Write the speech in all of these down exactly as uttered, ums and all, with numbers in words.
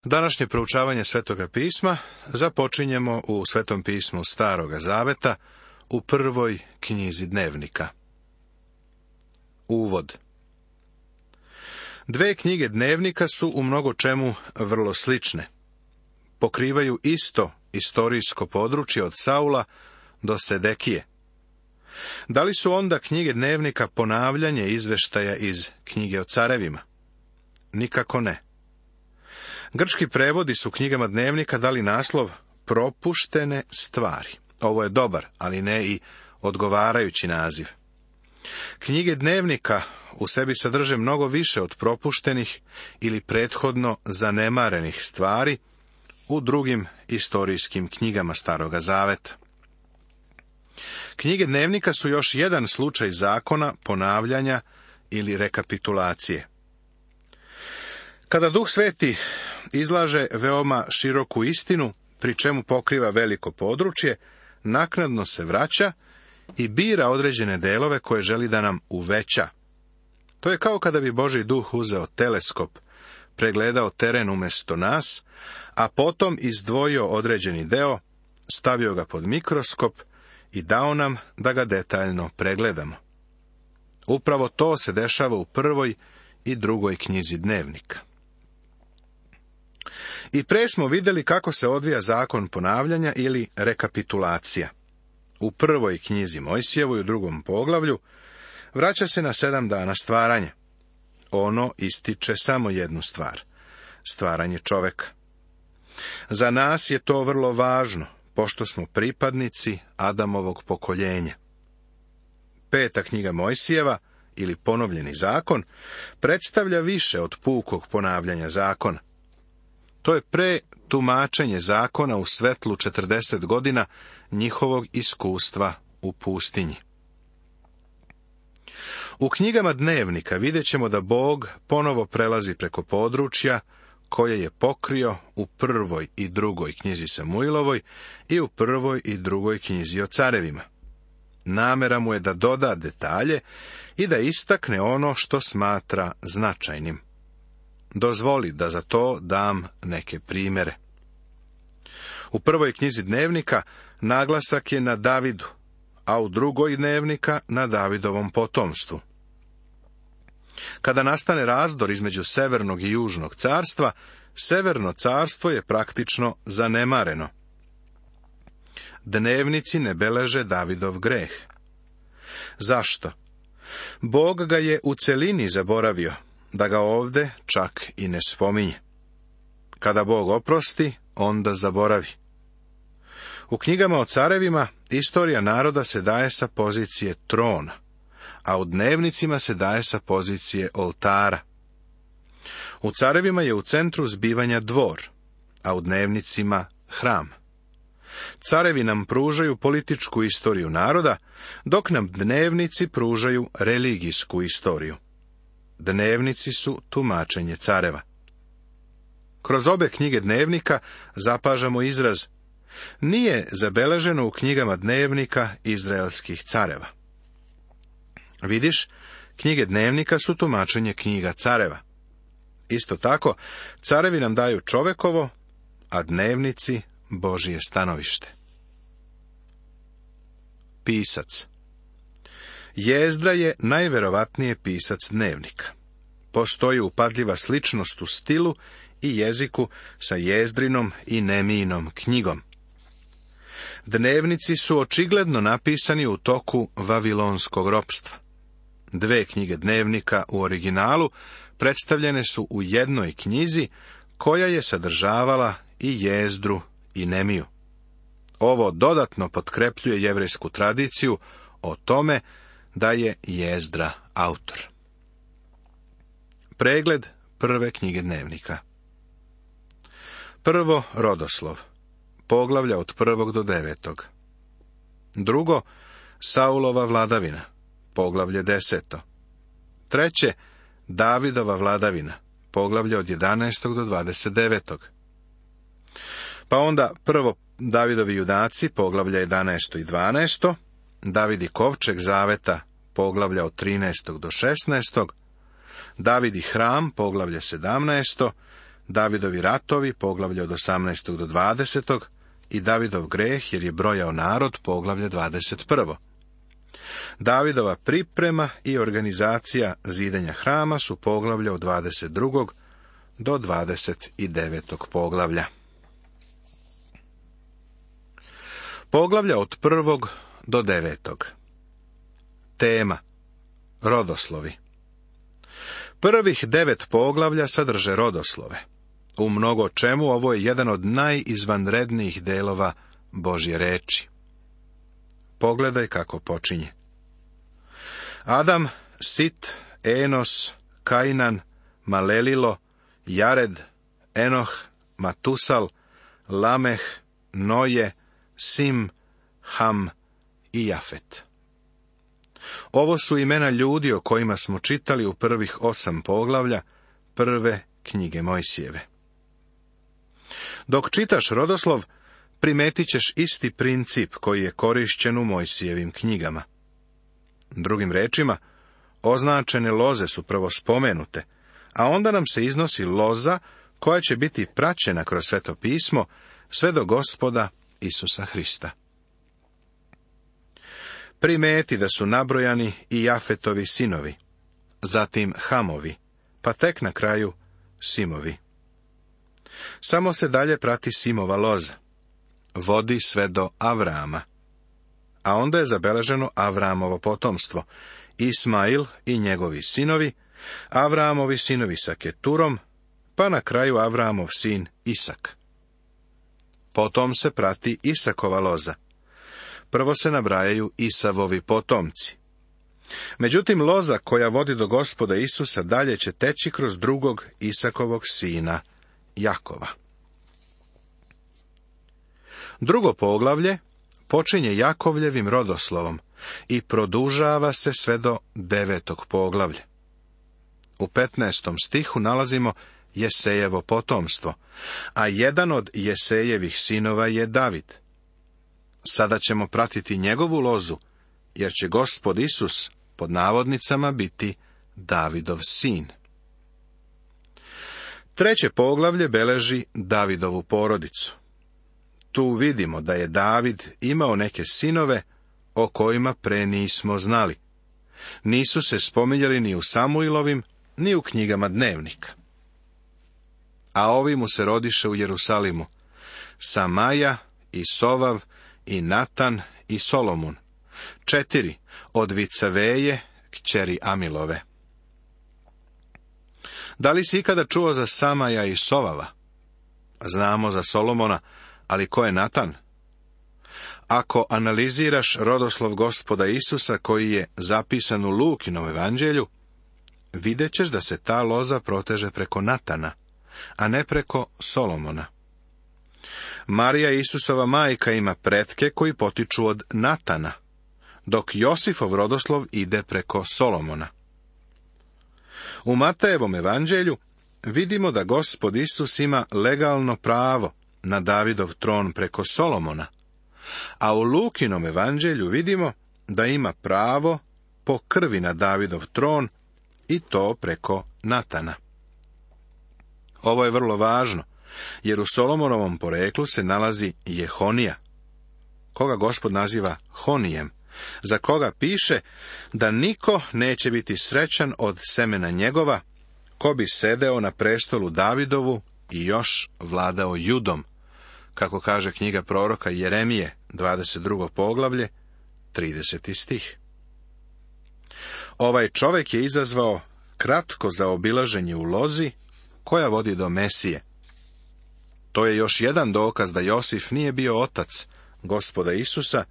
Današnje proučavanje Svetoga pisma započinjemo u Svetom pismu Staroga zaveta u prvoj knjizi Dnevnika. Uvod. Dve knjige Dnevnika su u mnogo čemu vrlo slične. Pokrivaju isto istorijsko područje od Saula do Sedekije. Da li su onda knjige Dnevnika ponavljanje izveštaja iz knjige o carevima? Nikako ne. Grčki prevodi su knjigama Dnevnika dali naslov Propuštene stvari. Ovo je dobar, ali ne i odgovarajući naziv. Knjige Dnevnika u sebi sadrže mnogo više od propuštenih ili prethodno zanemarenih stvari u drugim istorijskim knjigama Staroga zaveta. Knjige Dnevnika su još jedan slučaj zakona, ponavljanja ili rekapitulacije. Kada Duh Sveti izlaže veoma široku istinu, pri čemu pokriva veliko područje, naknadno se vraća i bira određene delove koje želi da nam uveća. To je kao kada bi Božji Duh uzeo teleskop, pregledao teren umjesto nas, a potom izdvojio određeni deo, stavio ga pod mikroskop i dao nam da ga detaljno pregledamo. Upravo to se dešava u prvoj i drugoj knjizi Dnevnika. I pre smo vidjeli kako se odvija zakon ponavljanja ili rekapitulacija. U prvoj knjizi Mojsijevoj, u drugom poglavlju, vraća se na sedam dana stvaranja. Ono ističe samo jednu stvar, stvaranje čoveka. Za nas je to vrlo važno, pošto smo pripadnici Adamovog pokoljenja. Peta knjiga Mojsijeva, ili ponovljeni zakon, predstavlja više od pukog ponavljanja zakona. To je pre tumačenje zakona u svetlu četrdeset godina njihovog iskustva u pustinji. U knjigama Dnevnika vidjet ćemo da Bog ponovo prelazi preko područja koje je pokrio u prvoj i drugoj knjizi Samuilovoj i u prvoj i drugoj knjizi o carevima. Namera mu je da doda detalje i da istakne ono što smatra značajnim. Dozvoli da za to dam neke primjere. U prvoj knjizi Dnevnika naglasak je na Davidu, a u drugoj Dnevnika na Davidovom potomstvu. Kada nastane razdor između severnog i južnog carstva, severno carstvo je praktično zanemareno. Dnevnici ne beleže Davidov greh. Zašto? Bog ga je u celini zaboravio, da ga ovde čak i ne spominje. Kada Bog oprosti, onda zaboravi. U knjigama o carevima istorija naroda se daje sa pozicije trona, a u Dnevnicima se daje sa pozicije oltara. U carevima je u centru zbivanja dvor, a u Dnevnicima hram. Carevi nam pružaju političku istoriju naroda, dok nam Dnevnici pružaju religijsku istoriju. Dnevnici su tumačenje careva. Kroz obe knjige Dnevnika zapažamo izraz nije zabeleženo u knjigama Dnevnika izraelskih careva. Vidiš, knjige Dnevnika su tumačenje knjiga careva. Isto tako, carevi nam daju čovekovo, a Dnevnici Božije stanovište. Pisac. Jezdra je najverovatnije pisac Dnevnika. Postoji upadljiva sličnost u stilu i jeziku sa Jezdrinom i Nemijinom knjigom. Dnevnici su očigledno napisani u toku vavilonskog ropstva. Dve knjige Dnevnika u originalu predstavljene su u jednoj knjizi koja je sadržavala i Jezdru i Nemiju. Ovo dodatno potkrepljuje jevrejsku tradiciju o tome da je Jezdra autor. Pregled prve knjige Dnevnika. Prvo, rodoslov. Poglavlja od prvog do devetog. Drugo, Saulova vladavina. Poglavlje deseto. Treće, Davidova vladavina. Poglavlje od jedanaestog do dvadeset devetog. Pa onda prvo Davidovi judaci, poglavlja jedanaesto i dvanaesto. David i kovčeg zaveta, poglavlja od trinaestog do šesnaestog. David i hram, poglavlje sedamnaesto. Davidovi ratovi, poglavlje od osamnaestog do dvadesetog, i Davidov greh, jer je brojao narod, poglavlje dvadeset prvo. Davidova priprema i organizacija zidenja hrama su poglavlja od dvadeset drugog do dvadeset devetog poglavlja. Poglavlja od prvog do devetog. Tema: rodoslovi. Prvih devet poglavlja sadrže rodoslove. U mnogo čemu ovo je jedan od najizvanrednijih delova Božje reči. Pogledaj kako počinje. Adam, Sit, Enos, Kainan, Malelilo, Jared, Enoh, Matusal, Lameh, Noje, Sim, Ham i Jafet. Ovo su imena ljudi o kojima smo čitali u prvih osam poglavlja prve knjige Mojsijeve. Dok čitaš rodoslov, primetit ćeš isti princip koji je korišćen u Mojsijevim knjigama. Drugim rečima, označene loze su prvo spomenute, a onda nam se iznosi loza koja će biti praćena kroz Sveto pismo sve do Gospoda Isusa Hrista. Primeti da su nabrojani i Jafetovi sinovi, zatim Hamovi, pa tek na kraju Simovi. Samo se dalje prati Simova loza. Vodi sve do Avrama. A onda je zabeleženo Avramovo potomstvo, Ismail i njegovi sinovi, Avramovi sinovi sa Keturom, pa na kraju Avramov sin Isak. Potom se prati Isakova loza. Prvo se nabrajaju Isavovi potomci. Međutim, loza koja vodi do Gospoda Isusa dalje će teći kroz drugog Isakovog sina, Jakova. Drugo poglavlje počinje Jakovljevim rodoslovom i produžava se sve do devetog poglavlja. U petnaestom stihu nalazimo Jesejevo potomstvo, a jedan od Jesejevih sinova je David. Sada ćemo pratiti njegovu lozu, jer će Gospod Isus, pod navodnicama, biti Davidov sin. Treće poglavlje beleži Davidovu porodicu. Tu vidimo da je David imao neke sinove o kojima pre nismo znali. Nisu se spominjali ni u Samuilovim, ni u knjigama dnevnika. A ovi mu se rodiše u Jerusalimu: Samaja i Sovav i Natan i Solomun, četiri od Vicaveje, kćeri Amilove. Da li si ikada čuo za Samaja i Sovava? Znamo za Solomona, ali ko je Natan? Ako analiziraš rodoslov Gospoda Isusa koji je zapisan u Lukinom evanđelju, vidjet ćeš da se ta loza proteže preko Natana, a ne preko Solomona. Marija Isusova majka ima pretke koji potiču od Natana, dok Josifov rodoslov ide preko Solomona. U Matejevom evanđelju vidimo da Gospod Isus ima legalno pravo na Davidov tron preko Solomona, a u Lukinom evanđelju vidimo da ima pravo po krvi na Davidov tron i to preko Natana. Ovo je vrlo važno, jer u Solomonovom poreklu se nalazi Jehonija, koga Gospod naziva Honijem, za koga piše da niko neće biti srećan od semena njegova, ko bi sedeo na prestolu Davidovu i još vladao Judom, kako kaže knjiga proroka Jeremije, dvadeset drugo poglavlje, trideseti stih. Ovaj čovjek je izazvao kratko zaobilaženje u lozi koja vodi do Mesije. To je još jedan dokaz da Josif nije bio otac Gospoda Isusa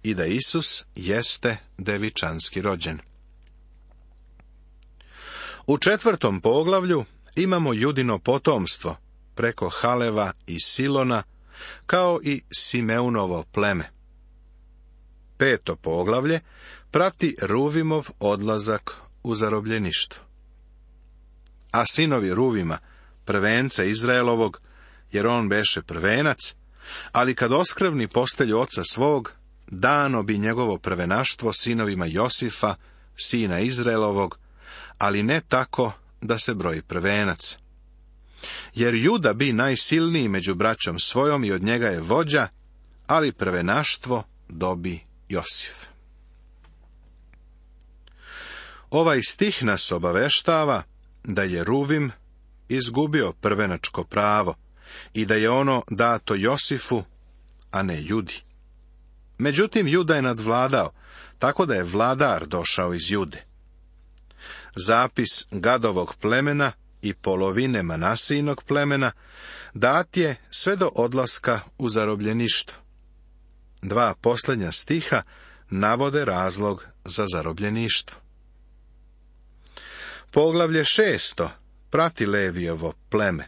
i da Isus jeste devičanski rođen. U četvrtom poglavlju imamo Judino potomstvo preko Haleva i Silona, kao i Simeunovo pleme. Peto poglavlje prati Ruvimov odlazak u zarobljeništvo. A sinovi Ruvima, prvenca Izraelovog, jer on beše prvenac, ali kad oskrvni postelju oca svog, dano bi njegovo prvenaštvo sinovima Josifa, sina Izraelovog, ali ne tako da se broji prvenac. Jer Juda bi najsilniji među braćom svojom i od njega je vođa, ali prvenaštvo dobi Josif. Ovaj stih nas obaveštava da je Ruvim izgubio prvenačko pravo i da je ono dato Josifu, a ne Judi. Međutim, Juda je nadvladao, tako da je vladar došao iz Jude. Zapis Gadovog plemena i polovine Manasijinog plemena dat je sve do odlaska u zarobljeništvo. Dva posljednja stiha navode razlog za zarobljeništvo. Poglavlje šesto prati Levijovo pleme,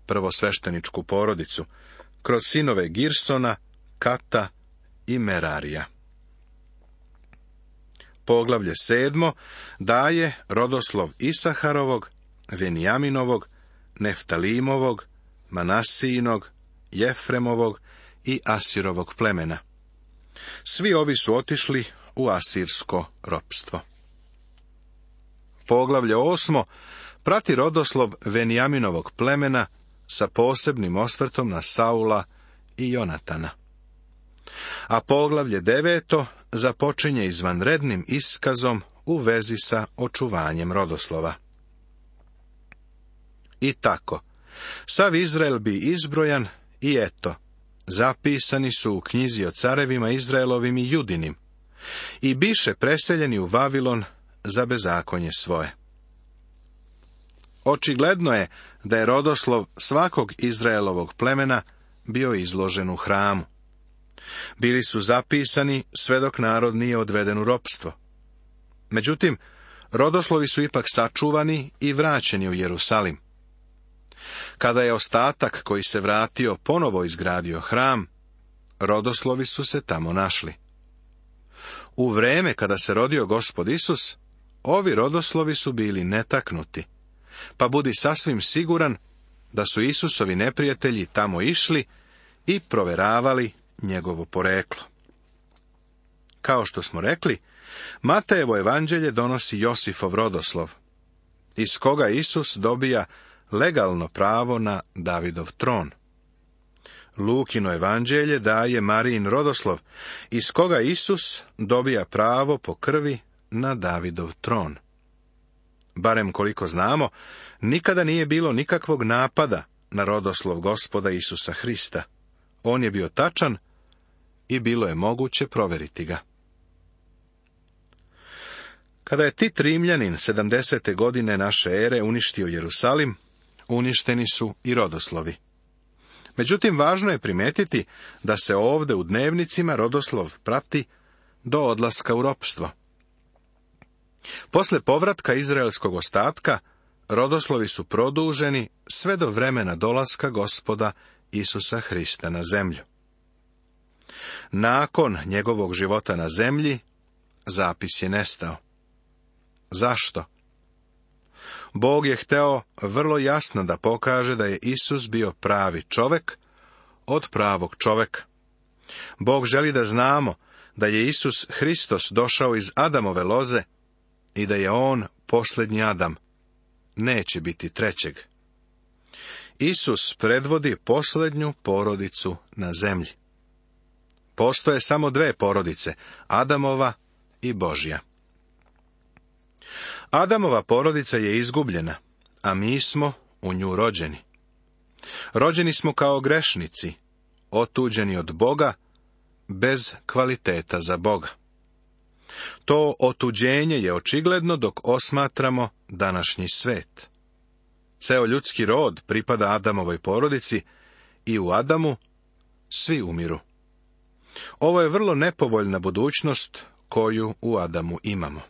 prvosvešteničku porodicu, kroz sinove Girsona, Kata i Merarija. Poglavlje sedmo daje rodoslov Isaharovog, Venijaminovog, Neftalimovog, Manasijinog, Jefremovog i Asirovog plemena. Svi ovi su otišli u asirsko ropstvo. Poglavlje osmo prati rodoslov Venijaminovog plemena sa posebnim osvrtom na Saula i Jonatana. A poglavlje deveto započinje izvanrednim iskazom u vezi sa očuvanjem rodoslova. I tako, sav Izrael bi izbrojan i eto, zapisani su u knjizi o carevima Izraelovim i Judinim i biše preseljeni u Vavilon za bezakonje svoje. Očigledno je da je rodoslov svakog Izraelovog plemena bio izložen u hramu. Bili su zapisani sve dok narod nije odveden u ropstvo. Međutim, rodoslovi su ipak sačuvani i vraćeni u Jerusalim. Kada je ostatak koji se vratio ponovo izgradio hram, rodoslovi su se tamo našli. U vreme kada se rodio Gospod Isus, ovi rodoslovi su bili netaknuti, pa budi sasvim siguran da su Isusovi neprijatelji tamo išli i proveravali njegovo poreklo. Kao što smo rekli, Matejevo evanđelje donosi Josifov rodoslov, iz koga Isus dobija legalno pravo na Davidov tron. Lukino evanđelje daje Marijin rodoslov, iz koga Isus dobija pravo po krvi na Davidov tron. Barem koliko znamo, nikada nije bilo nikakvog napada na rodoslov Gospoda Isusa Hrista. On je bio tačan i bilo je moguće provjeriti ga. Kada je Tit Rimljanin sedamdesete godine naše ere uništio Jerusalim, uništeni su i rodoslovi. Međutim, važno je primetiti da se ovdje u dnevnicima rodoslov prati do odlaska u ropstvo. Posle povratka izraelskog ostatka, rodoslovi su produženi sve do vremena dolaska Gospoda Isusa Hrista na zemlju. Nakon njegovog života na zemlji, zapis je nestao. Zašto? Bog je hteo vrlo jasno da pokaže da je Isus bio pravi čovek od pravog čoveka. Bog želi da znamo da je Isus Hristos došao iz Adamove loze i da je on posljednji Adam. Neće biti trećeg. Isus predvodi posljednju porodicu na zemlji. Postoje samo dve porodice, Adamova i Božja. Adamova porodica je izgubljena, a mi smo u nju rođeni. Rođeni smo kao grešnici, otuđeni od Boga, bez kvaliteta za Boga. To otuđenje je očigledno dok osmatramo današnji svet. Ceo ljudski rod pripada Adamovoj porodici i u Adamu svi umiru. Ovo je vrlo nepovoljna budućnost koju u Adamu imamo.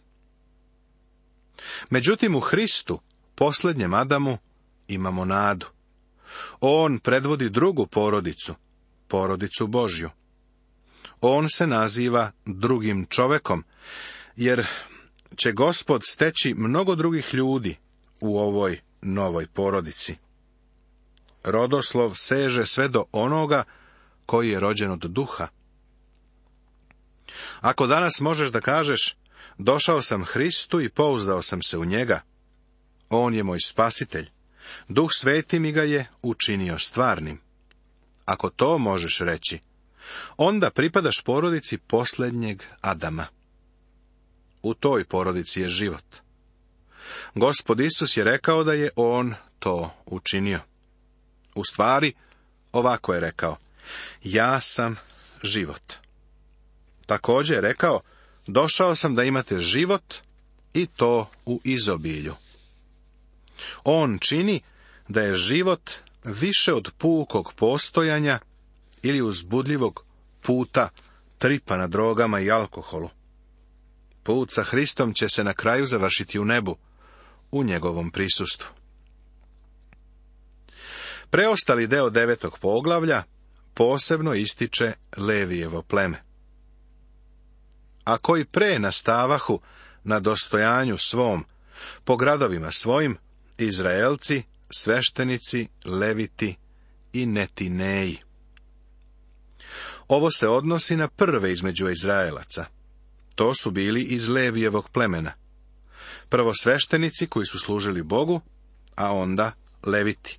Međutim, u Hristu, posljednjem Adamu, imamo nadu. On predvodi drugu porodicu, porodicu Božju. On se naziva drugim čovekom, jer će Gospod steći mnogo drugih ljudi u ovoj novoj porodici. Rodoslov seže sve do onoga koji je rođen od duha. Ako danas možeš da kažeš, došao sam Hristu i pouzdao sam se u njega, on je moj spasitelj, Duh Sveti mi ga je učinio stvarnim. Ako to možeš reći, onda pripadaš porodici posljednjeg Adama. U toj porodici je život. Gospod Isus je rekao da je on to učinio. U stvari, ovako je rekao: ja sam život. Također je rekao: došao sam da imate život i to u izobilju. On čini da je život više od pukog postojanja ili uzbudljivog puta tripa na drogama i alkoholu. Put sa Hristom će se na kraju završiti u nebu, u njegovom prisustvu. Preostali deo devetog poglavlja posebno ističe Levijevo pleme. A koji pre nastavahu na dostojanju svom, po gradovima svojim, Izraelci, sveštenici, Leviti i Netineji. Ovo se odnosi na prve između Izraelaca. To su bili iz Levijevog plemena. Prvo sveštenici koji su služili Bogu, a onda Leviti.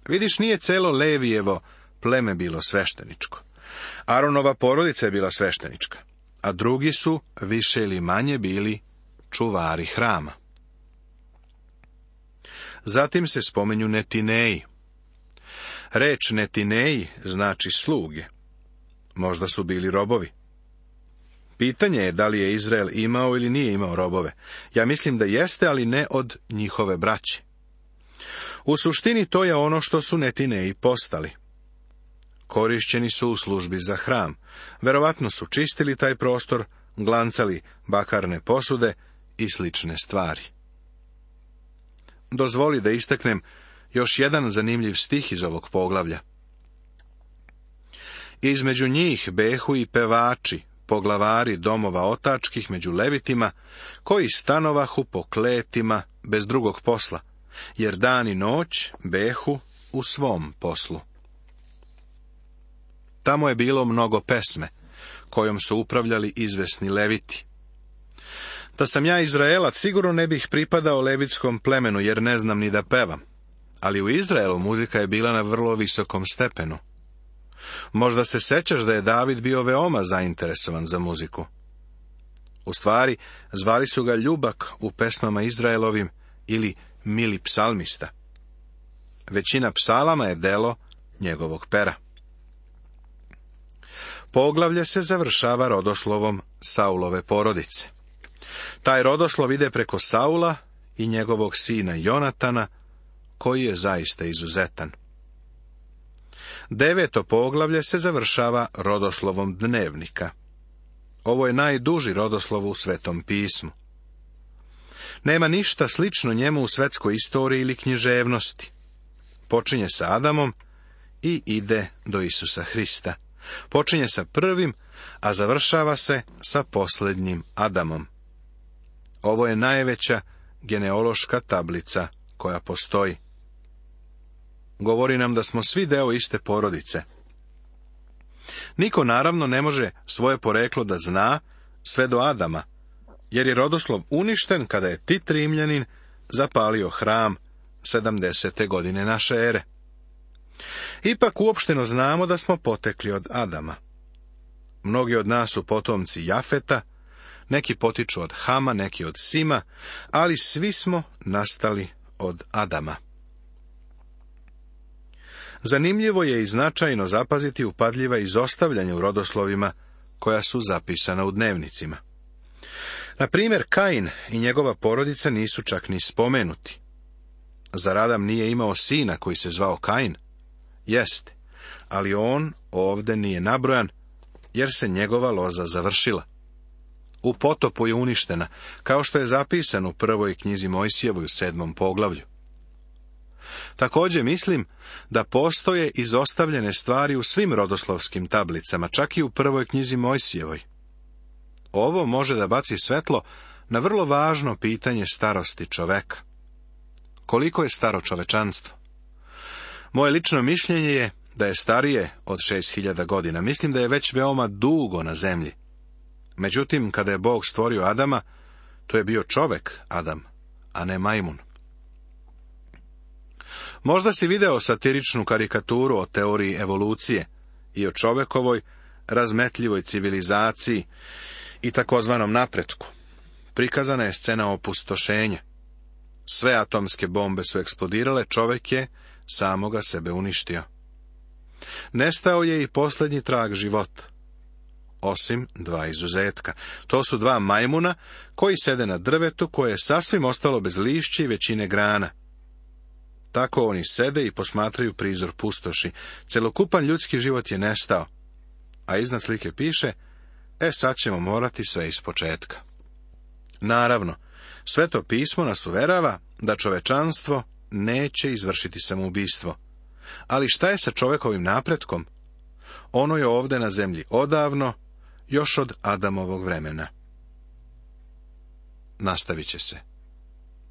Vidiš, nije celo Levijevo pleme bilo svešteničko. Aronova porodica je bila sveštenička, a drugi su više ili manje bili čuvari hrama. Zatim se spomenju Netineji. Reč Netineji znači sluge. Možda su bili robovi. Pitanje je da li je Izrael imao ili nije imao robove. Ja mislim da jeste, ali ne od njihove braće. U suštini to je ono što su Netineji postali. Korišćeni su u službi za hram. Verovatno su čistili taj prostor, glancali bakarne posude i slične stvari. Dozvoli da istaknem još jedan zanimljiv stih iz ovog poglavlja. Između njih behu i pevači, poglavari domova otačkih među Levitima, koji stanovahu po kletima bez drugog posla, jer dan i noć behu u svom poslu. Tamo je bilo mnogo pesme, kojom su upravljali izvesni Leviti. Da sam ja Izraelac, sigurno ne bih pripadao levitskom plemenu, jer ne znam ni da pevam. Ali u Izraelu muzika je bila na vrlo visokom stepenu. Možda se sećaš da je David bio veoma zainteresovan za muziku. U stvari, zvali su ga Ljubak u pesmama Izraelovim ili Mili psalmista. Većina psalama je delo njegovog pera. Poglavlje se završava rodoslovom Saulove porodice. Taj rodoslov ide preko Saula i njegovog sina Jonatana, koji je zaista izuzetan. Deveto poglavlje se završava rodoslovom Dnevnika. Ovo je najduži rodoslov u Svetom pismu. Nema ništa slično njemu u svetskoj istoriji ili književnosti. Počinje sa Adamom i ide do Isusa Hrista. Počinje sa prvim, a završava se sa posljednjim Adamom. Ovo je najveća genealoška tablica koja postoji. Govori nam da smo svi deo iste porodice. Niko naravno ne može svoje poreklo da zna sve do Adama, jer je rodoslov uništen kada je Tit Rimljanin zapalio hram sedamdesete godine naše ere. Ipak uopšteno znamo da smo potekli od Adama. Mnogi od nas su potomci Jafeta, neki potiču od Hama, neki od Sima, ali svi smo nastali od Adama. Zanimljivo je i značajno zapaziti upadljiva izostavljanja u rodoslovima koja su zapisana u dnevnicima. Na primjer, Kain i njegova porodica nisu čak ni spomenuti. Zar Adam nije imao sina koji se zvao Kain? Jeste, ali on ovde nije nabrojan, jer se njegova loza završila. U potopu je uništena, kao što je zapisano u prvoj knjizi Mojsijevoj u sedmom poglavlju. Također mislim da postoje izostavljene stvari u svim rodoslovskim tablicama, čak i u prvoj knjizi Mojsijevoj. Ovo može da baci svetlo na vrlo važno pitanje starosti čoveka. Koliko je staro čovečanstvo? Moje lično mišljenje je da je starije od šest hiljada godina. Mislim da je već veoma dugo na zemlji. Međutim, kada je Bog stvorio Adama, to je bio čovek Adam, a ne majmun. Možda si video satiričnu karikaturu o teoriji evolucije i o čovekovoj razmetljivoj civilizaciji i takozvanom napretku. Prikazana je scena opustošenja. Sve atomske bombe su eksplodirale, čovek je samoga sebe uništio. Nestao je i posljednji trag života, osim dva izuzetka. To su dva majmuna koji sede na drvetu koje je sasvim ostalo bez lišća i većine grana. Tako oni sede i posmatraju prizor pustoši. Celokupan ljudski život je nestao. A iznad slike piše, e sad ćemo morati sve ispočetka. Naravno, Sveto pismo nas uverava da čovečanstvo neće izvršiti samoubistvo. Ali šta je sa čovekovim napretkom? Ono je ovde na zemlji odavno, još od Adamovog vremena. Nastavit će se.